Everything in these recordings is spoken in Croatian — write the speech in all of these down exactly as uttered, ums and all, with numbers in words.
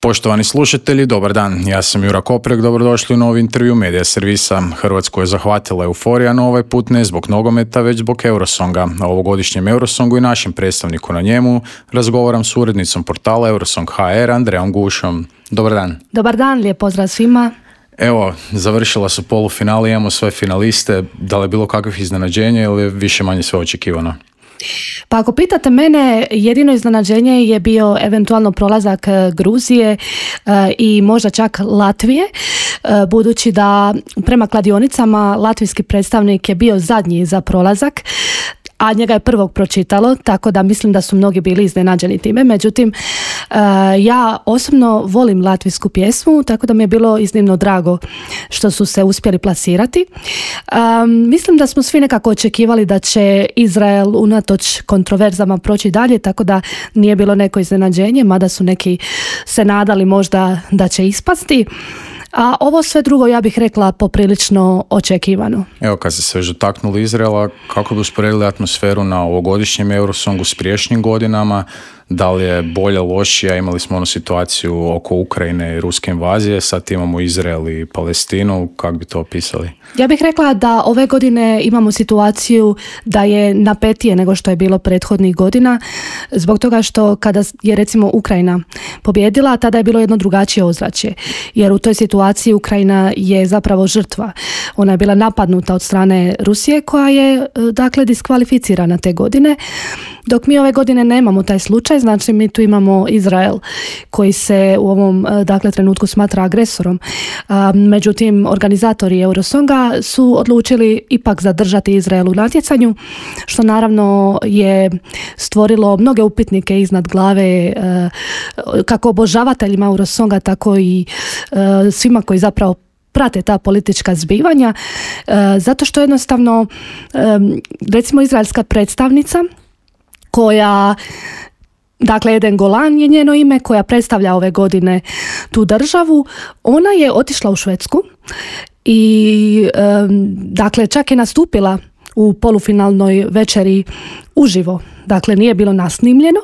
Poštovani slušatelji, dobar dan. Ja sam Jura Koprek, dobrodošli u novi intervju Medija servisa. Hrvatsku je zahvatila euforija, no ovaj put ne zbog nogometa, već zbog Eurosonga. O ovogodišnjem Eurosongu i našem predstavniku na njemu razgovaram s urednicom portala Eurosong ha er, Andrejom Gušom. Dobar dan. Dobar dan, lijep pozdrav svima. Evo, završila su polufinale, imamo sve finaliste. Da li je bilo kakvih iznenađenja ili je više manje sve očekivano? Pa ako pitate mene, jedino iznenađenje je bio eventualno prolazak Gruzije e, i možda čak Latvije, e, budući da prema kladionicama latvijski predstavnik je bio zadnji za prolazak, a njega je prvog pročitalo, tako da mislim da su mnogi bili iznenađeni time. Međutim, uh, ja osobno volim latvijsku pjesmu, tako da mi je bilo iznimno drago što su se uspjeli plasirati. Um, mislim da smo svi nekako očekivali da će Izrael unatoč kontroverzama proći dalje, tako da nije bilo neko iznenađenje, mada su neki se nadali možda da će ispasti. A ovo sve drugo, ja bih rekla, poprilično očekivano. Evo, kad ste se već dotaknuli Izraela, kako bi usporedili atmosferu na ovogodišnjem Eurosongu s prijašnjim godinama? Da li je bolje, lošija? Imali smo onu situaciju oko Ukrajine i ruske invazije, sad imamo Izrael i Palestinu. Kako bi to opisali? Ja bih rekla da ove godine imamo situaciju da je napetije nego što je bilo prethodnih godina, zbog toga što kada je recimo Ukrajina pobjedila, tada je bilo jedno drugačije ozračje, jer u toj situaciji Ukrajina je zapravo žrtva. Ona je bila napadnuta od strane Rusije, koja je dakle diskvalificirana te godine, dok mi ove godine nemamo taj slučaj. Znači mi tu imamo Izrael koji se u ovom dakle trenutku smatra agresorom. Međutim, organizatori Eurosonga su odlučili ipak zadržati Izrael u natjecanju, što naravno je stvorilo mnoge upitnike iznad glave kako obožavateljima Eurosonga, tako i svima koji zapravo prate ta politička zbivanja, zato što jednostavno recimo izraelska predstavnica koja, dakle Eden Golan je njeno ime, koja predstavlja ove godine tu državu, ona je otišla u Švedsku i dakle čak je nastupila u polufinalnoj večeri uživo, dakle nije bilo nasnimljeno,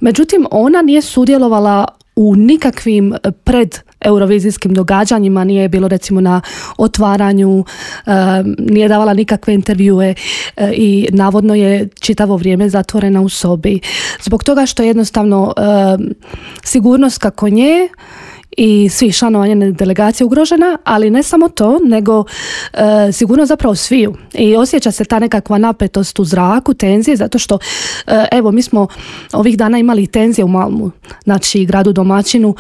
međutim ona nije sudjelovala u nikakvim pred eurovizijskim događanjima, nije bilo recimo na otvaranju, nije davala nikakve intervjue i navodno je čitavo vrijeme zatvorena u sobi. Zbog toga što je jednostavno sigurnost kako nje i svih članova njene delegacije ugrožena, ali ne samo to, nego e, sigurno zapravo sviju. I osjeća se ta nekakva napetost u zraku, tenzije, zato što e, evo, mi smo ovih dana imali tenzije u Malmu, znači gradu domaćinu,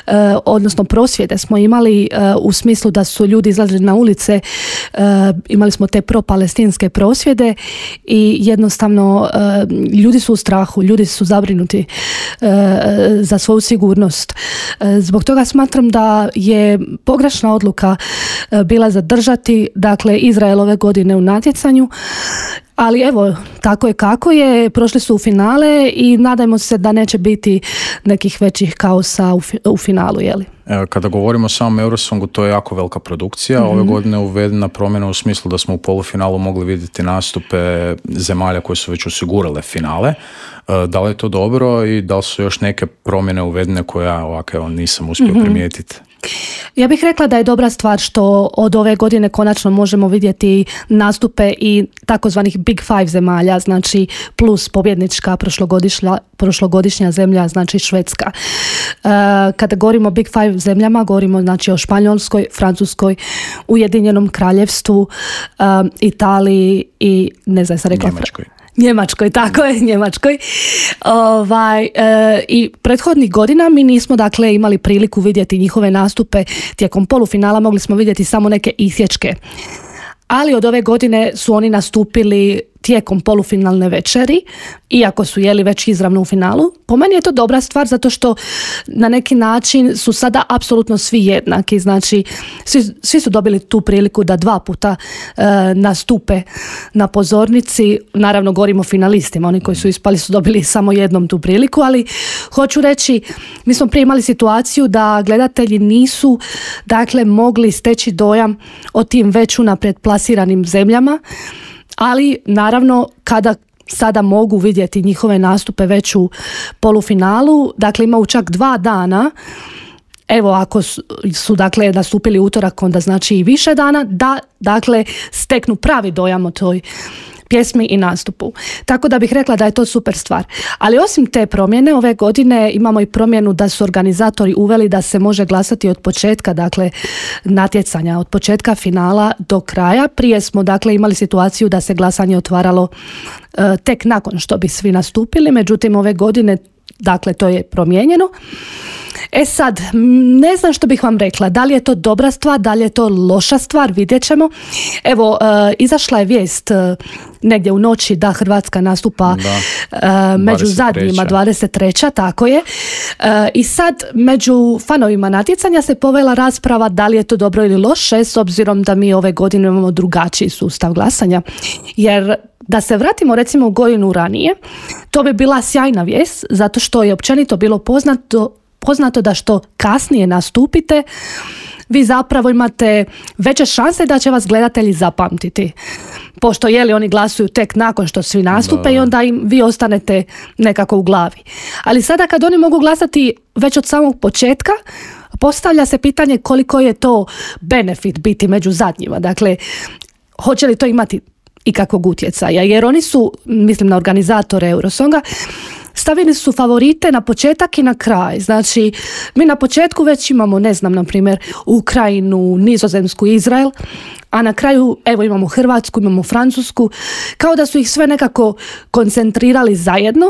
e, odnosno prosvjede smo imali e, u smislu da su ljudi izlazili na ulice, e, imali smo te pro-palestinske prosvjede i jednostavno e, ljudi su u strahu, ljudi su zabrinuti e, za svoju sigurnost. E, zbog toga smatram da je pogrešna odluka bila zadržati dakle Izrael ove godine u natjecanju, ali evo, tako je kako je, prošli su u finale i nadajmo se da neće biti nekih većih kaosa u, fi, u finalu, jeli? Kada govorimo o samom Eurosongu, to je jako velika produkcija. Mm-hmm. Ove godine je uvedena promjena u smislu da smo u polufinalu mogli vidjeti nastupe zemalja koje su već osigurale finale. Da li je to dobro i da li su još neke promjene uvedene koje ja ovako evo, nisam uspio mm-hmm. primijetiti? Ja bih rekla da je dobra stvar što od ove godine konačno možemo vidjeti nastupe i takozvanih Big Five zemalja, znači plus pobjednička prošlogodišnja, prošlogodišnja zemlja, znači Švedska. Uh, kada govorimo o Big Five zemljama, govorimo znači o Španjolskoj, Francuskoj, Ujedinjenom Kraljevstvu, um, Italiji i ne znam, sam rekla... Njemačkoj. Njemačkoj, tako je, Njemačkoj. Ovaj, e, I prethodnih godina mi nismo dakle imali priliku vidjeti njihove nastupe tijekom polufinala, mogli smo vidjeti samo neke isječke. Ali od ove godine su oni nastupili tijekom polufinalne večeri, iako su jeli već izravno u finalu. Po meni je to dobra stvar zato što na neki način su sada apsolutno svi jednaki, znači svi, svi su dobili tu priliku da dva puta e, nastupe na pozornici. Naravno govorimo o finalistima, oni koji su ispali su dobili samo jednom tu priliku, ali hoću reći, mi smo prije imali situaciju da gledatelji nisu dakle mogli steći dojam o tim već unaprijed plasiranim zemljama, ali naravno kada sada mogu vidjeti njihove nastupe već u polufinalu. Dakle, imaju čak dva dana. Evo, ako su, su dakle nastupili utorak, onda znači i više dana da dakle steknu pravi dojam o toj pjesmi i nastupu. Tako da bih rekla da je to super stvar. Ali osim te promjene, ove godine imamo i promjenu da su organizatori uveli da se može glasati od početka, dakle natjecanja, od početka finala do kraja. Prije smo dakle imali situaciju da se glasanje otvaralo uh, tek nakon što bi svi nastupili, međutim ove godine dakle to je promijenjeno. E sad, ne znam što bih vam rekla, da li je to dobra stvar, da li je to loša stvar, vidjet ćemo. Evo, uh, izašla je vijest uh, negdje u noći da Hrvatska nastupa uh, među zadnjima, dvadeset treća tako je. Uh, I sad, među fanovima natjecanja se povela rasprava da li je to dobro ili loše, s obzirom da mi ove godine imamo drugačiji sustav glasanja. Jer da se vratimo recimo u godinu ranije, to bi bila sjajna vijest, zato što je općenito bilo poznato poznato da što kasnije nastupite, vi zapravo imate veće šanse da će vas gledatelji zapamtiti. Pošto je li oni glasuju tek nakon što svi nastupe da. I onda im vi ostanete nekako u glavi. Ali sada kad oni mogu glasati već od samog početka, postavlja se pitanje koliko je to benefit biti među zadnjima. Dakle, hoće li to imati ikakvog utjecaja? Jer oni su, mislim na organizatore Eurosonga, stavili su favorite na početak i na kraj. Znači, mi na početku već imamo, ne znam, na primjer, Ukrajinu, Nizozemsku, Izrael, a na kraju, evo, imamo Hrvatsku, imamo Francusku, kao da su ih sve nekako koncentrirali zajedno.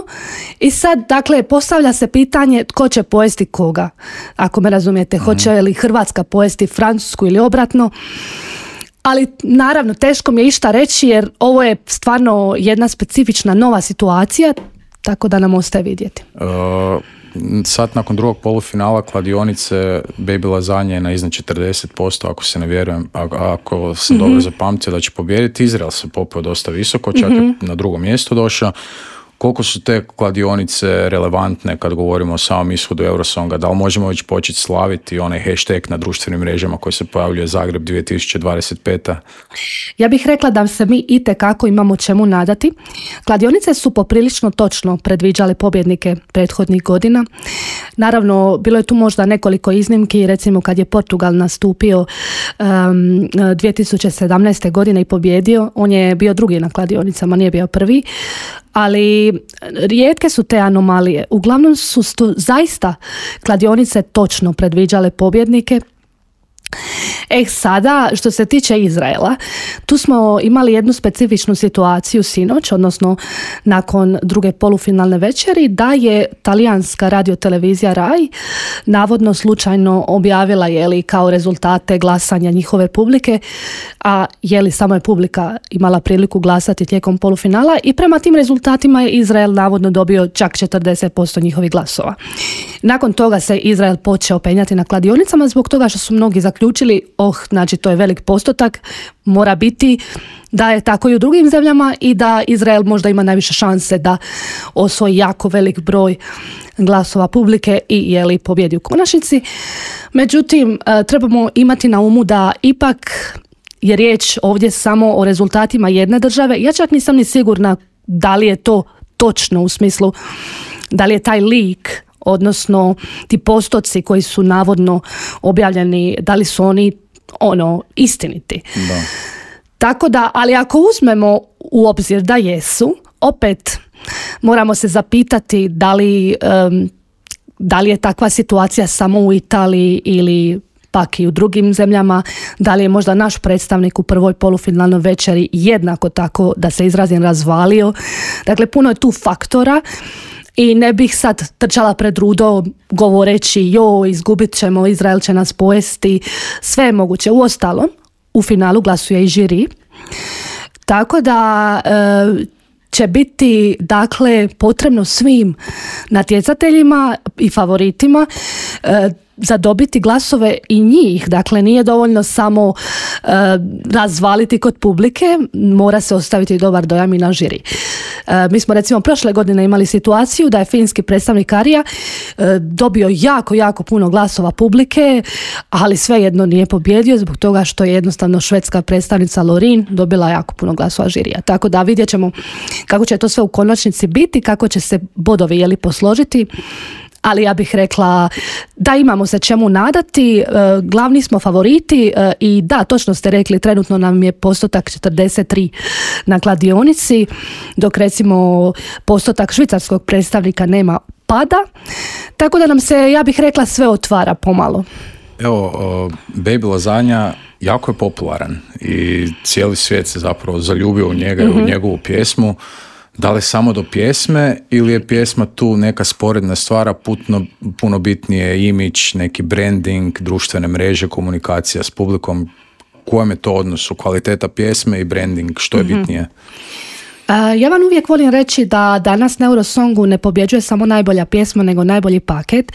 I sad, dakle, postavlja se pitanje tko će pojesti koga, ako me razumijete, mm-hmm. hoće li Hrvatska pojesti Francusku ili obratno. Ali naravno, teško mi je išta reći jer ovo je stvarno jedna specifična nova situacija, tako da nam ostaje vidjeti. Uh, sad nakon drugog polufinala kladionice Baby Lazanje na iznad četrdeset posto, ako se ne vjerujem, ako sam mm-hmm. dobro zapamtio da će pobijediti. Izrael se popeo dosta visoko, čak mm-hmm. je na drugo mjesto došao. Koliko su te kladionice relevantne kad govorimo o samom ishodu Eurosonga? Da li možemo već početi slaviti onaj hashtag na društvenim mrežama koji se pojavljuje Zagreb dvije tisuće dvadeset peta? Ja bih rekla da se mi itekako imamo čemu nadati. Kladionice su poprilično točno predviđale pobjednike prethodnih godina. Naravno, bilo je tu možda nekoliko iznimki, recimo kad je Portugal nastupio um, dvije tisuće sedamnaeste. godine i pobjedio, on je bio drugi na kladionicama, nije bio prvi. Ali rijetke su te anomalije. Uglavnom su stu, zaista kladionice točno predviđale pobjednike. E sada, što se tiče Izraela, tu smo imali jednu specifičnu situaciju sinoć, odnosno nakon druge polufinalne večeri, da je talijanska radiotelevizija Rai navodno slučajno objavila je li kao rezultate glasanja njihove publike, a je li samo je publika imala priliku glasati tijekom polufinala i prema tim rezultatima je Izrael navodno dobio čak četrdeset posto njihovih glasova. Nakon toga se Izrael počeo penjati na kladionicama zbog toga što su mnogi zaključili, oh, znači to je velik postotak, mora biti da je tako i u drugim zemljama i da Izrael možda ima najviše šanse da osvoji jako velik broj glasova publike i je li pobjedi u konačnici. Međutim, trebamo imati na umu da ipak je riječ ovdje samo o rezultatima jedne države. Ja čak nisam ni sigurna da li je to točno u smislu da li je taj leak, odnosno ti postoci koji su navodno objavljeni, da li su oni ono istiniti. Da. Tako da, ali ako uzmemo u obzir da jesu, opet moramo se zapitati da li, um, da li je takva situacija samo u Italiji ili pak i u drugim zemljama, da li je možda naš predstavnik u prvoj polufinalnoj večeri jednako tako, da se izrazim, razvalio. Dakle, puno je tu faktora. I ne bih sad trčala pred rudo govoreći jo, izgubit ćemo, Izrael će nas pojesti, sve je moguće. Uostalom, u finalu glasuje i žiri. Tako da e, će biti dakle potrebno svim natjecateljima i favoritima e, zadobiti glasove i njih. Dakle, nije dovoljno samo uh, razvaliti kod publike, mora se ostaviti dobar dojam i na žiri. Uh, mi smo recimo prošle godine imali situaciju da je finski predstavnik Arija uh, dobio jako, jako puno glasova publike, ali svejedno nije pobjedio zbog toga što je jednostavno švedska predstavnica Lorin dobila jako puno glasova žirija. Tako da vidjet ćemo kako će to sve u konačnici biti, kako će se bodovi jeli posložiti. Ali ja bih rekla da imamo se čemu nadati, glavni smo favoriti i da, točno ste rekli, trenutno nam je postotak četrdeset tri na kladionici, dok recimo postotak švicarskog predstavnika nema pada, tako da nam se, ja bih rekla, sve otvara pomalo. Evo, Baby Lasagna jako je popularan i cijeli svijet se zapravo zaljubio u njega i mm-hmm. u njegovu pjesmu. Da li samo do pjesme ili je pjesma tu neka sporedna stvara, puno, puno bitnije imidž, neki branding, društvene mreže, komunikacija s publikom? Kojem je to odnosu? Kvaliteta pjesme i branding, što je mm-hmm. bitnije? Uh, ja vam uvijek volim reći da danas na Eurosongu ne pobjeđuje samo najbolja pjesma, nego najbolji paket.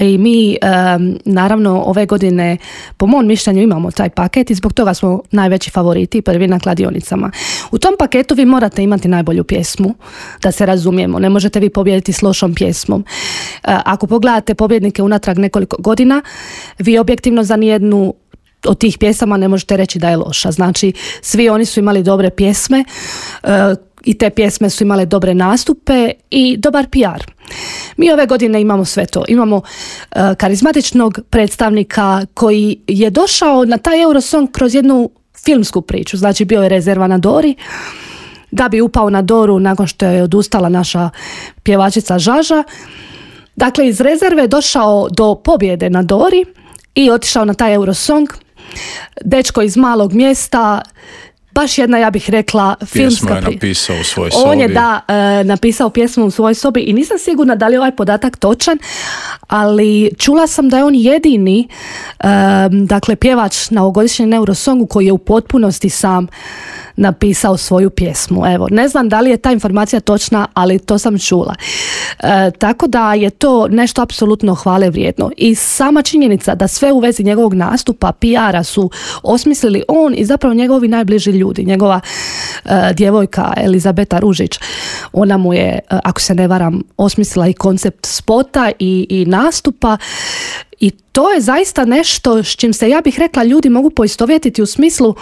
I mi um, naravno ove godine po mom mišljenju imamo taj paket i zbog toga smo najveći favoriti, prvi na kladionicama. U tom paketu vi morate imati najbolju pjesmu, da se razumijemo. Ne možete vi pobijediti s lošom pjesmom. Uh, ako pogledate pobjednike unatrag nekoliko godina, vi objektivno za nijednu od tih pjesama ne možete reći da je loša. Znači, svi oni su imali dobre pjesme uh, i te pjesme su imale dobre nastupe i dobar P R. Mi ove godine imamo sve to. Imamo uh, karizmatičnog predstavnika koji je došao na taj Eurosong kroz jednu filmsku priču. Znači, bio je rezerva na Dori, da bi upao na Doru nakon što je odustala naša pjevačica Žaža. Dakle, iz rezerve je došao do pobjede na Dori i otišao na taj Eurosong. Dečko iz malog mjesta, baš jedna, ja bih rekla, filmska pjesmu je napisao u svojoj sobi. On je, da, e, napisao pjesmu u svojoj sobi i nisam sigurna da li je ovaj podatak točan, ali čula sam da je on jedini e, dakle, pjevač na ovogodišnjem Eurosongu koji je u potpunosti sam napisao svoju pjesmu. Evo, ne znam da li je ta informacija točna, ali to sam čula. E, tako da je to nešto apsolutno hvale vrijedno. I sama činjenica da sve u vezi njegovog nastupa, P R-a su osmislili on i zapravo njegovi najbliži ljudi. Njegova e, djevojka Elizabeta Ružić, ona mu je, ako se ne varam, osmislila i koncept spota i, i nastupa. I to je zaista nešto s čim se, ja bih rekla, ljudi mogu poistovjetiti u smislu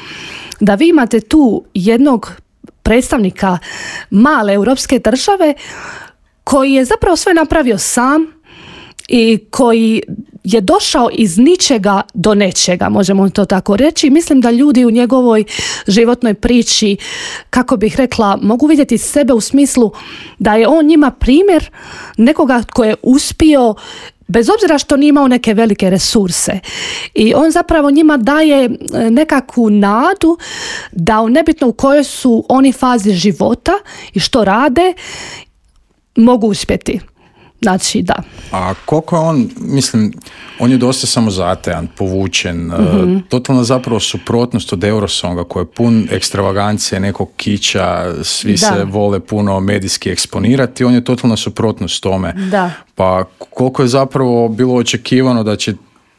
da vi imate tu jednog predstavnika male europske države koji je zapravo sve napravio sam i koji je došao iz ničega do nečega, možemo to tako reći. Mislim da ljudi u njegovoj životnoj priči, kako bih rekla, mogu vidjeti sebe u smislu da je on njima primjer nekoga tko je uspio bez obzira što nije imao neke velike resurse. I on zapravo njima daje nekakvu nadu da nebitno u kojoj su oni fazi života i što rade, mogu uspjeti. Znači, da. A koliko je on, mislim, on je dosta samozatajan, povučen, mm-hmm. totalno zapravo suprotnost od Eurosonga koji je pun ekstravagancije, nekog kića, svi da. se vole puno medijski eksponirati, on je totalno suprotnost tome. Da. Pa koliko je zapravo bilo očekivano da će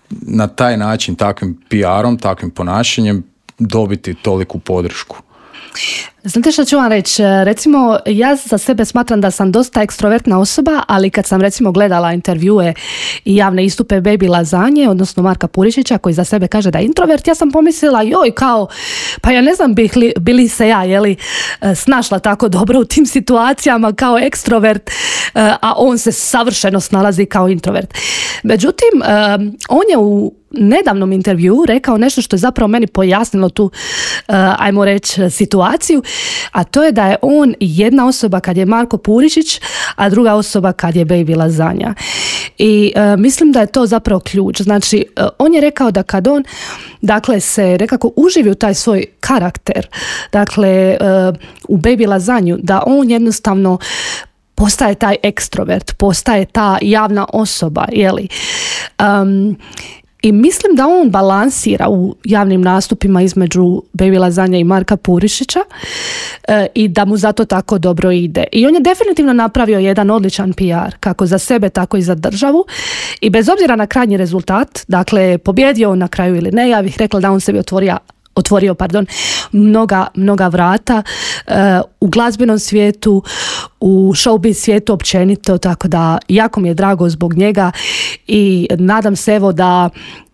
na taj način, takvim P R-om, takvim ponašanjem dobiti toliku podršku? Znate što ću vam reći? Recimo, ja za sebe smatram da sam dosta ekstrovertna osoba, ali kad sam recimo gledala intervjue i javne istupe Baby Lasagne, odnosno Marka Purišića, koji za sebe kaže da je introvert, ja sam pomislila, joj, kao, pa ja ne znam bih li, bili se ja, jeli, snašla tako dobro u tim situacijama kao ekstrovert, a on se savršeno snalazi kao introvert. Međutim, on je u nedavnom intervju rekao nešto što je zapravo meni pojasnilo tu, uh, ajmo reći, situaciju, a to je da je on jedna osoba kad je Marko Purišić, a druga osoba kad je Baby Lasagna. I uh, mislim da je to zapravo ključ. Znači, uh, on je rekao da kad on, dakle, se nekako uživi u taj svoj karakter, dakle, uh, u Baby Lasagnu, da on jednostavno postaje taj ekstrovert, postaje ta javna osoba, jeli. Um, I mislim da on balansira u javnim nastupima između Baby Lasagne i Marka Purišića e, i da mu zato tako dobro ide. I on je definitivno napravio jedan odličan P R, kako za sebe, tako i za državu. I bez obzira na krajnji rezultat, dakle, pobjedio on na kraju ili ne, ja bih rekla da on sebi otvorio, otvorio, pardon, mnoga, mnoga vrata uh, u glazbenom svijetu, u showbiz svijetu općenito, tako da jako mi je drago zbog njega i nadam se evo da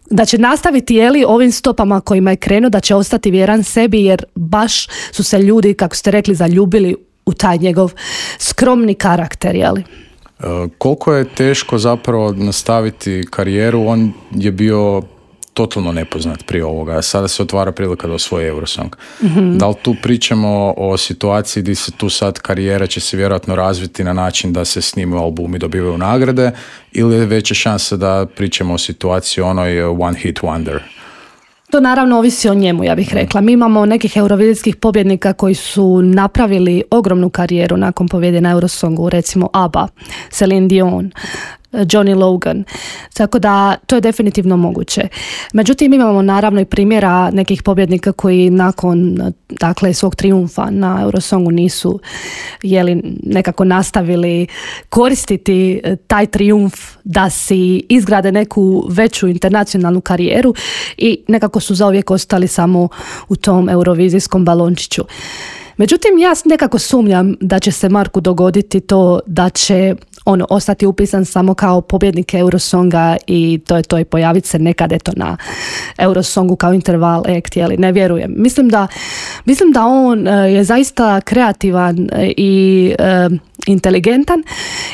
da će nastaviti jeli, ovim stopama kojima je krenuo, da će ostati vjeran sebi, jer baš su se ljudi, kako ste rekli, zaljubili u taj njegov skromni karakter, jeli. E, koliko je teško zapravo nastaviti karijeru, on je bio totalno nepoznat prije ovoga, a sada se otvara prilika da osvoji Eurosong. Mm-hmm. Da li tu pričamo o situaciji gdje se tu sad karijera će se vjerojatno razviti na način da se snimaju albumi, dobivaju nagrade, ili je veća šansa da pričamo o situaciji onoj one hit wonder? To naravno ovisi o njemu, ja bih rekla. Mi imamo nekih eurovizijskih pobjednika koji su napravili ogromnu karijeru nakon pobjede na Eurosongu, recimo ABBA, Celine Dion, Johnny Logan. Tako da to je definitivno moguće. Međutim, imamo naravno i primjera nekih pobjednika koji nakon dakle, svog trijumfa na Eurosongu nisu jeli, nekako nastavili koristiti taj trijumf da si izgrade neku veću internacionalnu karijeru i nekako su zauvijek ostali samo u tom eurovizijskom balončiću. Međutim, ja nekako sumnjam da će se Marku dogoditi to da će on ostati upisan samo kao pobjednik Eurosonga i to je to i pojaviti se nekad eto na Eurosongu kao interval act, jeli, ne vjerujem. Mislim da, mislim da on je zaista kreativan i e, inteligentan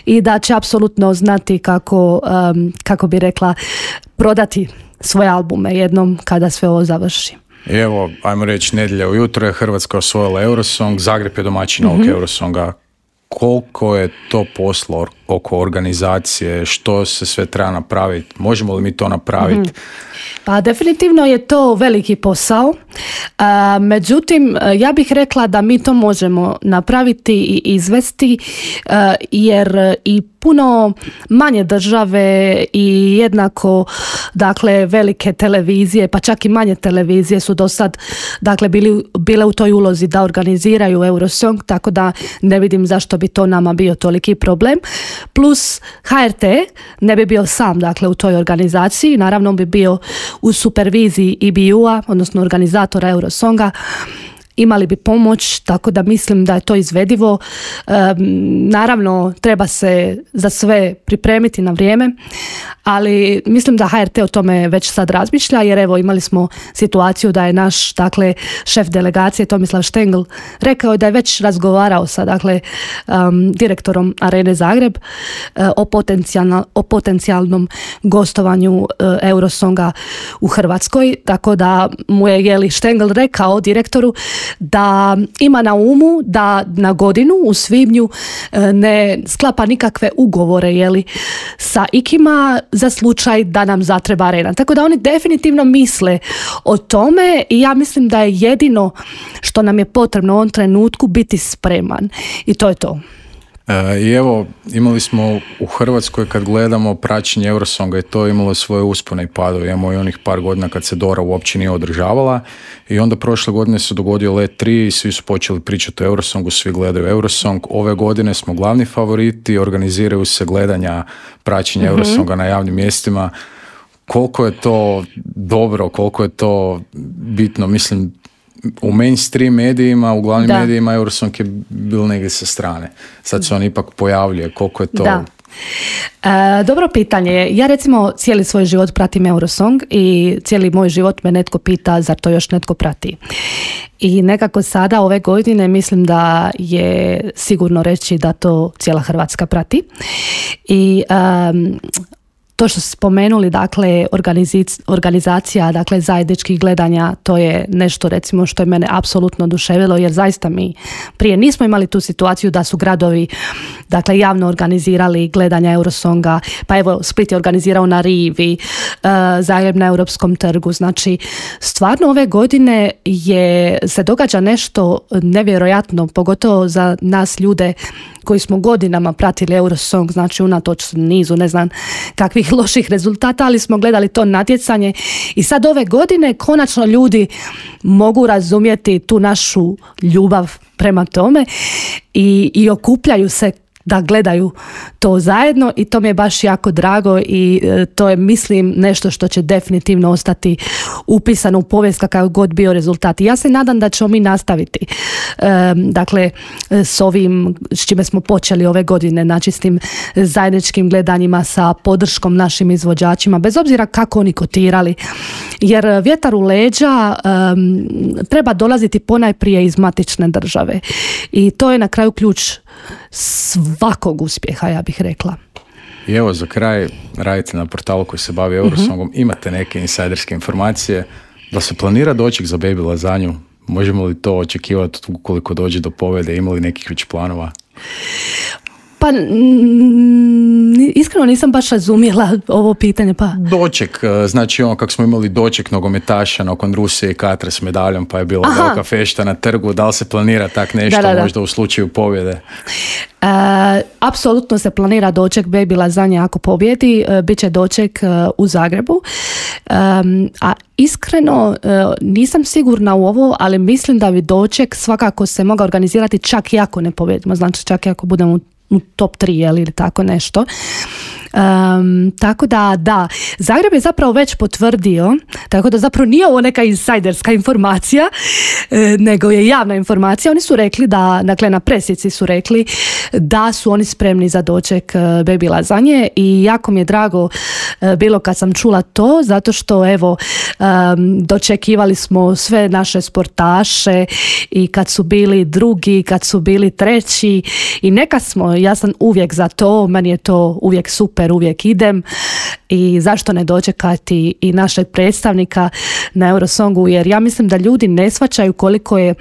i da će apsolutno znati kako, um, kako bi rekla, prodati svoje albume jednom kada sve ovo završi. I evo, ajmo reći, nedjelja ujutro je Hrvatska osvojila Eurosong, Zagreb je domaćin ovog mm-hmm. Eurosonga. Koliko je to posla oko organizacije, što se sve treba napraviti, možemo li mi to napraviti? Mm-hmm. Pa definitivno je to veliki posao, a, međutim ja bih rekla da mi to možemo napraviti i izvesti a, jer i puno manje države i jednako dakle velike televizije, pa čak i manje televizije su do sad dakle bili, bile u toj ulozi da organiziraju Eurosong, tako da ne vidim zašto bi to nama bio toliki problem. Plus H R T ne bi bio sam dakle u toj organizaciji, naravno bi bio u superviziji E B U-a, odnosno organizatora Eurosonga, imali bi pomoć, tako da mislim da je to izvedivo. E, naravno, treba se za sve pripremiti na vrijeme, ali mislim da H R T o tome već sad razmišlja, jer evo imali smo situaciju da je naš dakle, šef delegacije Tomislav Štengl rekao da je već razgovarao sa dakle, um, direktorom Arene Zagreb uh, o, potencijalno, o potencijalnom gostovanju uh, Eurosonga u Hrvatskoj, tako da mu je jeli, Štengl rekao direktoru da ima na umu da na godinu u svibnju ne sklapa nikakve ugovore jeli, sa ikima za slučaj da nam zatreba arena. Tako da oni definitivno misle o tome i ja mislim da je jedino što nam je potrebno u ovom trenutku biti spreman. I to je to. E, I evo, imali smo u Hrvatskoj kad gledamo praćenje Eurosonga i to imalo svoje uspone i padove. Imamo i onih par godina kad se Dora uopće nije održavala i onda prošle godine se dogodio Let tri i svi su počeli pričati o Eurosongu, svi gledaju Eurosong. Ove godine smo glavni favoriti, organiziraju se gledanja praćenja mm-hmm. Eurosonga na javnim mjestima. Koliko je to dobro, koliko je to bitno, mislim, u mainstream medijima, u glavnim da. medijima Eurosong je bil negdje sa strane. Sad se on ipak pojavljuje. Koliko je to... Da. E, dobro pitanje. Ja recimo cijeli svoj život pratim Eurosong i cijeli moj život me netko pita zar to još netko prati. I nekako sada ove godine mislim da je sigurno reći da to cijela Hrvatska prati. I um, to što ste spomenuli, dakle, organizic, organizacija dakle, zajedničkih gledanja, to je nešto recimo što je mene apsolutno oduševilo, jer zaista mi prije nismo imali tu situaciju da su gradovi dakle, javno organizirali gledanja Eurosonga, pa evo Split je organizirao na Rivi, uh, Zagreb na Europskom trgu, znači stvarno ove godine je, se događa nešto nevjerojatno, pogotovo za nas ljude koji smo godinama pratili Eurosong, znači unatoč nizu ne znam kakvih loših rezultata, ali smo gledali to natjecanje i sad ove godine konačno ljudi mogu razumjeti tu našu ljubav prema tome i, i okupljaju se da gledaju to zajedno i to mi je baš jako drago i to je, mislim, nešto što će definitivno ostati upisano u povijest kakav god bio rezultat. I ja se nadam da ćemo mi nastaviti dakle s ovim s čime smo počeli ove godine, znači s tim zajedničkim gledanjima, sa podrškom našim izvođačima, bez obzira kako oni kotirali. Jer vjetar u leđa um, treba dolaziti ponajprije iz matične države. I to je na kraju ključ svakog uspjeha, ja bih rekla. I evo za kraj, radite na portalu koji se bavi Eurosongom, uh-huh. imate neke insajderske informacije, da se planira doček za Baby lazanju? Možemo li to očekivati ukoliko dođe do pobjede? Ima li nekih već planova? Pa iskreno nisam baš razumjela ovo pitanje. Pa. Doček, znači ono kako smo imali doček nogometaša nakon Rusije i Katra s medaljom, pa je bila Aha. velika fešta na trgu. Da li se planira tak nešto da, da, da. možda u slučaju pobjede? Uh, apsolutno se planira doček Baby lazanje ako pobjedi. Uh, Biće doček uh, u Zagrebu. Um, a iskreno uh, nisam sigurna u ovo, ali mislim da bi doček svakako se mogao organizirati čak i ako ne pobjedimo. Znači čak i ako budemo u u top tri ili tako nešto. Um, tako da, da, Zagreb je zapravo već potvrdio, tako da zapravo nije ovo neka insajderska informacija, e, nego je javna informacija. Oni su rekli da, dakle na presici su rekli da su oni spremni za doček Baby lazanje i jako mi je drago e, bilo kad sam čula to, zato što evo um, dočekivali smo sve naše sportaše i kad su bili drugi, kad su bili treći i neka smo, ja sam uvijek za to, meni je to uvijek super, uvijek idem i zašto ne dočekati i našeg predstavnika na Eurosongu, jer ja mislim da ljudi ne shvaćaju koliko je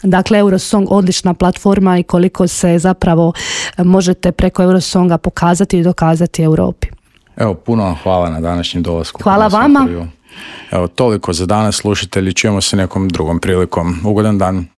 dakle Eurosong odlična platforma i koliko se zapravo možete preko Eurosonga pokazati i dokazati Europi. Evo, puno hvala na današnjem dolasku. Hvala vama. Evo, toliko za danas, slušatelji, čujemo se nekom drugom prilikom. Ugodan dan.